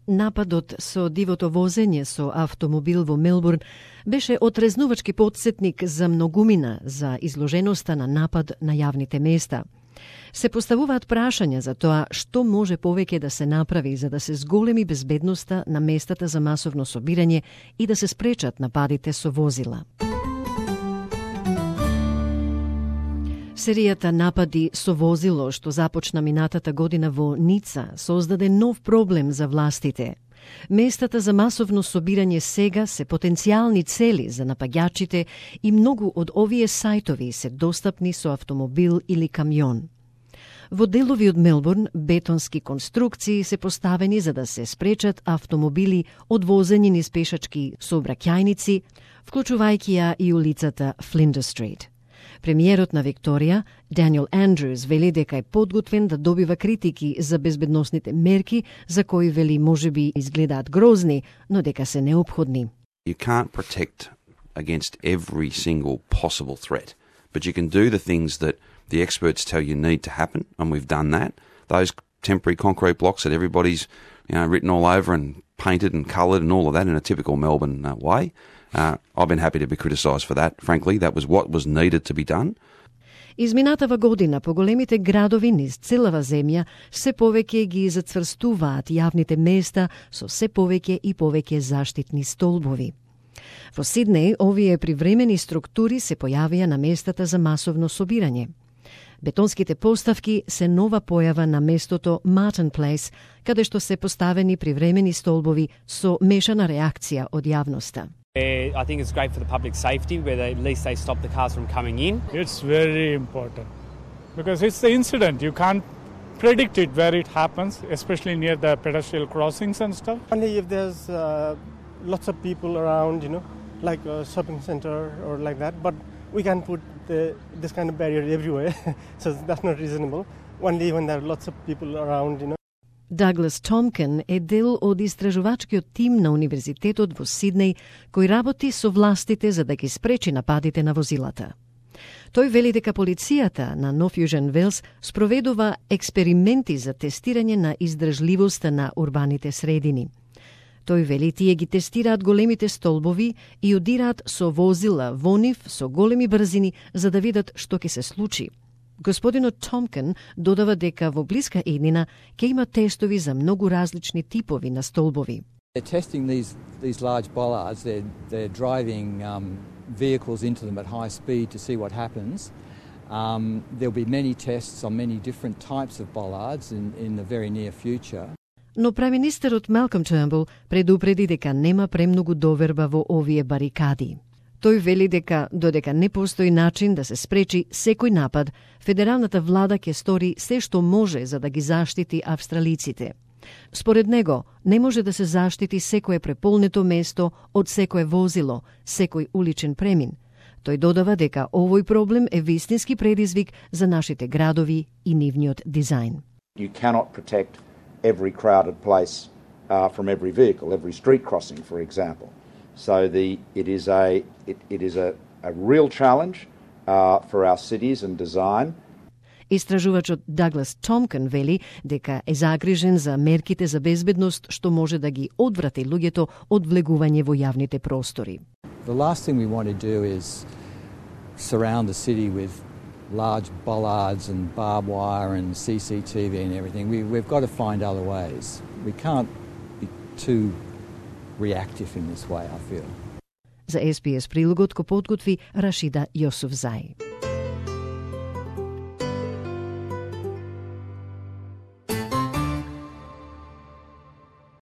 Нападот со дивото возење со автомобил во Мелбурн беше отрезнувачки потсетник за многумина за изложеноста на напад на јавните места. Се поставуваат прашања за тоа што може повеќе да се направи за да се зголеми безбедноста на местата за масовно собирање и да се спречат нападите со возила. Серијата напади со возило што започна минатата година во Ница создаде нов проблем за властите. Местата за масовно собирање сега се потенцијални цели за напаѓачите и многу од овие сајтови се достапни со автомобил или камион. Во делови од Мелбурн бетонски конструкции се поставени за да се спречат автомобили од возење низ пешачки сообраќајници, вклучувајќи ја и улицата Флиндер Стрит. Премиерот на Викторија, Даниел Андрюс, вели дека е подготвен да добива критики за безбедносните мерки, за кои вели можеби изгледаат грозни, но дека се неопходни. You can't protect against every single possible threat, but you can do the things that the experts tell you need to happen, and we've done that. Those temporary concrete blocks that everybody's written all over and painted and coloured and all of that in a typical Melbourne way. I've been happy to be criticised for that. Frankly, that was what was needed to be done. Изминатава година по големите градови низ целава земја се повеќе ги зацврстуваат јавните места со се повеќе и повеќе заштитни столбови. Во Сиднеј овие привремени структури се појавија на местата за масовно собирање. Бетонските поставки се нова појава на местото Martin Place, каде што се поставени привремени столбови со мешана реакција од јавноста. I think it's great for the public safety, where at least they stop the cars from coming in. It's very important because it's the incident. You can't predict it where it happens, especially near the pedestrian crossings and stuff. Only if there's lots of people around, like a shopping center or like that. But we can put this kind of barrier everywhere, so that's not reasonable. Only when there are lots of people around, Douglas Tomkin е дел од истражувачкиот тим на Универзитетот во Сиднеј, кој работи со властите за да ги спречи нападите на возилата. Тој вели дека полицијата на Нов Јужен Велс спроведува експерименти за тестирање на издржливоста на урбаните средини. Тој вели тие ги тестираат големите столбови и удираат со возила во нив со големи брзини за да видат што ќе се случи. Господинот Томкин додава дека во блиска еднина ќе има тестови за многу различни типови на столбови. They're testing these large bollards. They're driving vehicles into them at high speed to see what happens. There'll be many tests on many different types of bollards in the very near future. Но преминистерот Малком Тернбул предупреди дека нема премногу доверба во овие барикади. Тој вели дека додека не постои начин да се спречи секој напад, федералната влада ќе стори се што може за да ги заштити австралиците. Според него, не може да се заштити секое преполнето место од секое возило, секој уличен премин. Тој додава дека овој проблем е вистински предизвик за нашите градови и нивниот дизајн. You cannot protect every crowded place from every vehicle, every street crossing, for example. So it is a real challenge for our cities and design. Истражувачот Даглас Томкин вели дека е загрижен за мерките за безбедност што може да ги одврати луѓето од влегување во јавните простори. The last thing we want to do is surround the city with large bollards and barbed wire and CCTV and everything. We've got to find other ways. We can't be too reactive in this way, I feel. За SBS прилогот го подготви Рашида Јосуфзај.